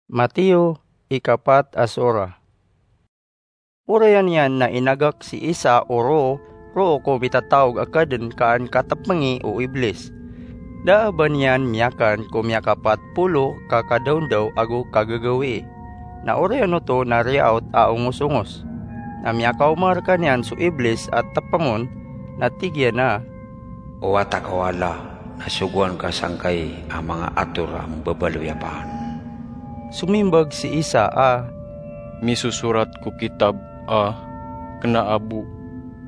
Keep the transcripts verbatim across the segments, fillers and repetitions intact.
Mateo, ikapat a sura. Oriyan iyan na inagak si Isa o roo, roo ko mitataog a kadn ka an katpngi o Iblis. Da a ba niyan miyakan ko miyakapat polo ka kadaondaw ago kagagawii. Na oriyan oto na riyaot a ongos-ongos. Na miyakaoma rkaniyan so Iblis a tpngon, na tig iyan a, "O wata ka o Allah, na sogoan ka sangkai a manga ator a mbabaloy a paan." Somimbag si Isa a, "Misosorat ko kitab a, kna a bo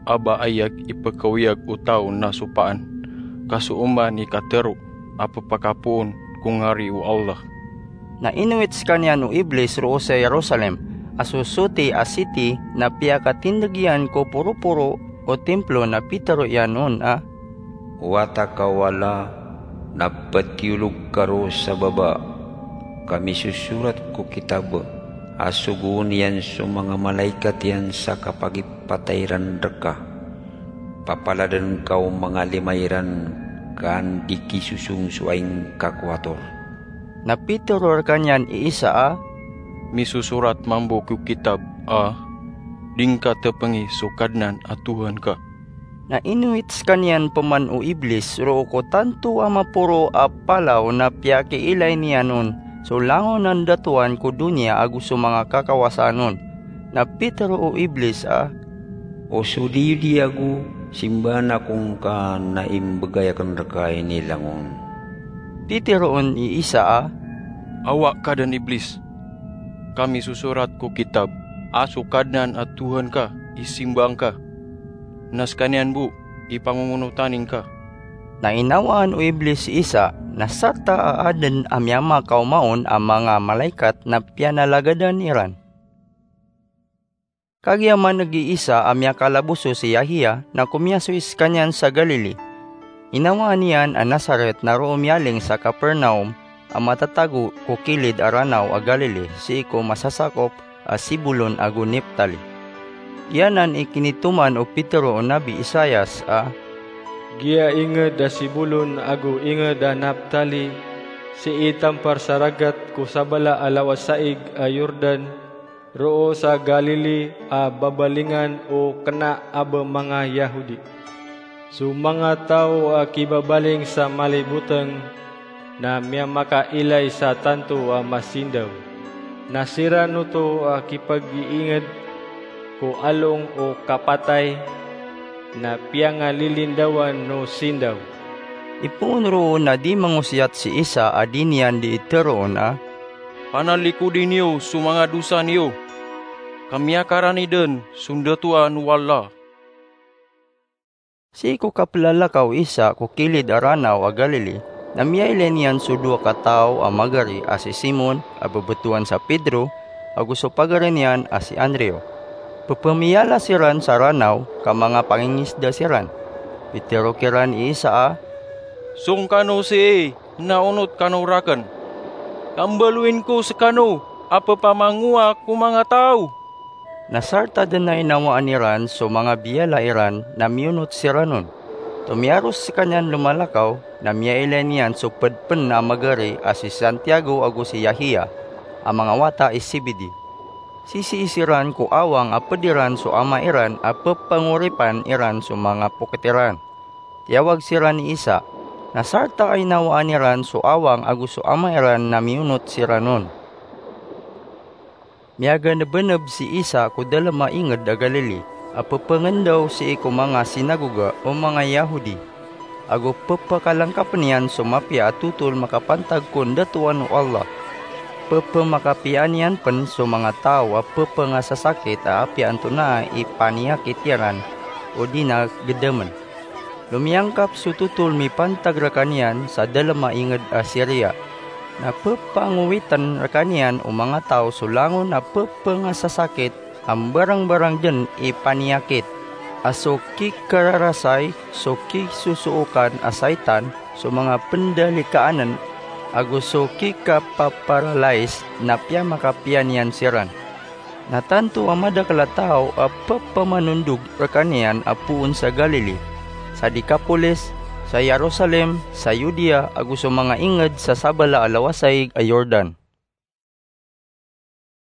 a ba aya ipkaoyag o taw na so paan, ka so oman i katharo a pphakapoon ko ngari o Allah." Na inowit skaniyan o Iblis roo sa Jerusalem, a so soti a siti na piyakatindg iyan ko poroporo o timplo na pitharo iyan on a, "O wata ka o Allah, na ptiyolog ka roo sa baba, ka misosorat ko kitab a sogoon iyan so manga malaikat iyan sa kapagipatay iran rka. Papaladn ka o manga lima iran ka an di kisosong so aingka ko ator." Na pitharo rkaniyan i Isa a, "Misosorat mambo ko kitab a, 'Di ngka tpngi so Kadnan a Tohan ka.'" Na inowit skaniyan pman o Iblis roo ko tanto a maporo a palaw na piyakiilay niyan on so langon a ndatoan ko doniya ago so manga kakawasaan on. Na pitharo o Iblis a, "O so diyodiya ago, simbaan ako ngka na imbgay akn rka ini langon." Pitharo on i Isa a, "Awa ka dn, Iblis, ka misosorat ko kitab a so Kadnan a Tohan ka i simbaan ka, na skaniyan bo i pangongonotan ingka." Na inawaan o Iblis si Isa, na sarta a adn a miyamakaoma on a manga malaikat na piyanalagadan iran. Kagiya man'g i Isa a miyakalaboso si Yahiya, na komiyasoy skaniyan sa Galili. Inawaan iyan a Nazaret na roo miyaling sa Capernaum, a matatago ko kilid a Ranaw a Galili, sii ko masasakop a Zebulon ago Neftali. Giyanan i kinitoman o Pedro o Nabi Isaias a, "Giya ingd a Zebulon ago ingd a Neftali, sii tampar sa ragat ko sabala a lawasaig a Jordan, roo sa Galili a babalingan o kna a ba manga Yahudi. So manga taw a kibabaling sa malay botng na miyamakailay sa tanto a masindaw. Na siran oto a kipag-iingd ko along o kapatay, na piyangalilindawan o sindaw." Ipoon roo na di mangosiyat si Isa a di niyan dii tharoon a, "Panalikodi niyo so manga dosa niyo, ka miyakarani dn so ndatoan o Allah." Sii ko kaplalakaw i Isa ko kilid a Ranaw a Galili, na miyailay niyan so dowa ka taw a magari a si Simon a babtowan sa Pedro, ago so pagari niyan a si Andrew. Pphmiyala siran sa ranaw ka manga pangingisda siran. Pitharo kiran i Isa a, "Song kano sii na onot kano rakn, ka mbaloyin ko skano a ppamangowa ko manga taw." Na sarta dn a inawaan iran so manga biyala iran na miyonot siran on. Tomiyaros skaniyan lomalakaw, na miyailay niyan so pd pn a magari a si Santiago ago si Yahiya, a manga wata i Zebedee. Sisii siran ko awang a pd iran so ama iran a ppangoripan iran so manga poket iran. Tiyawag siran i Isa, na sarta a inawaan iran so awang ago so ama iran na miyonot siran on. Miyaganbnb si Isa ko dalm a ingd a Galili, a pphangndaw sii ko manga sinagoga o manga Yahudi, ago pphakalangkapn iyan so mapiya a thotol makapantag ko ndatoan o Allah. Pphmakapiya niyan pn so manga taw a pphangasasakit a apiya antonaa i paniyakit iran odi na gdamn. Lomiyangkap so thotol mipantag rkaniyan sa dalm a ingd a Siria. Na pphangowitan rkaniyan o manga taw so langon a pphangasasakit a mbarangbarang dn i paniyakit, a so kikararasay, so kisosookan a saitan, so manga pndalikaann, ago so kikapaparalais, na piyamakapiya niyan siran. Na tanto a madakl a taw a pphamanondog rkaniyan a poon sa Galili, sa Decapolis, sa Jerusalem, sa Judea, ago so manga ingd sa sabala a lawasaig a Jordan.